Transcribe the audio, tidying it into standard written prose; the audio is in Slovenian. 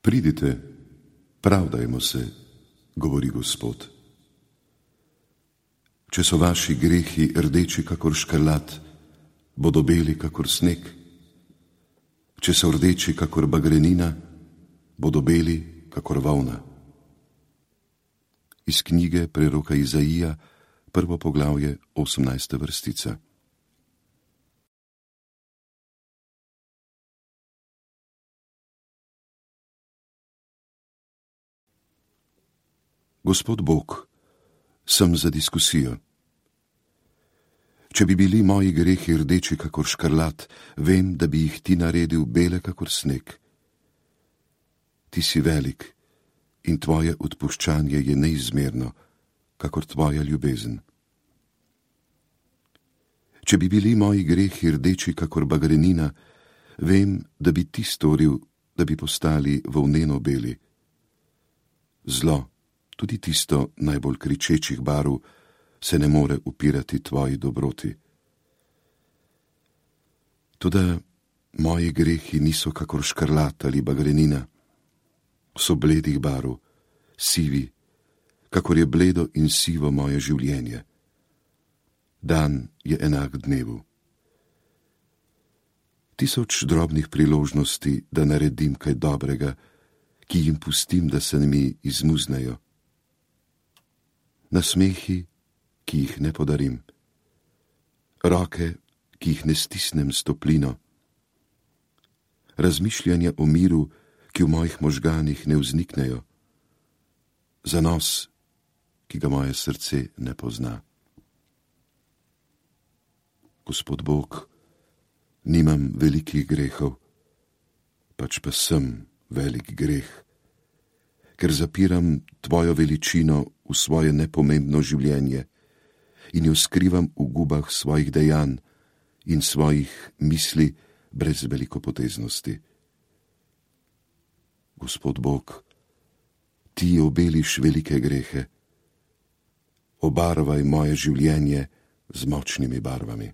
Pridite, pravdajmo se, govori Gospod. Če so vaši grehi rdeči kakor škrlat, bodo beli kakor sneg. Če so rdeči kakor bagrenina, bodo beli kakor volna. Iz knjige preroka Izaija, 1. poglavje, 18. vrstica. Gospod Bog, sem za diskusijo. Če bi bili moji grehi rdeči kakor škrlat, vem, da bi jih ti naredil bele kakor sneg. Ti si velik in tvoje odpuščanje je neizmerno, kakor tvoja ljubezen. Če bi bili moji grehi rdeči kakor bagrenina, vem, da bi ti storil, da bi postali volneno beli. Zlo, tudi tisto najbolj kričečih barv, se ne more upirati tvoji dobroti. Toda moji grehi niso kakor škrlat ali bagrenina, so bledih barv, sivi, kakor je bledo in sivo moje življenje. Dan je enak dnevu. 1000 drobnih priložnosti, da naredim kaj dobrega, ki jim pustim, da se mi izmuznejo. Nasmehi, ki jih ne podarim. Roke, ki jih ne stisnem s toplino. Razmišljanja o miru, ki v mojih možganih ne vzniknejo. Zanos, ki ga moje srce ne pozna. Gospod Bog, nimam velikih grehov, pač pa sem velik greh, ker zapiram tvojo veličino v svoje nepomembno življenje in jo skrivam v gubah svojih dejanj in svojih misli brez velikopoteznosti. Gospod Bog, ti obeliš velike grehe, obarvaj moje življenje z močnimi barvami.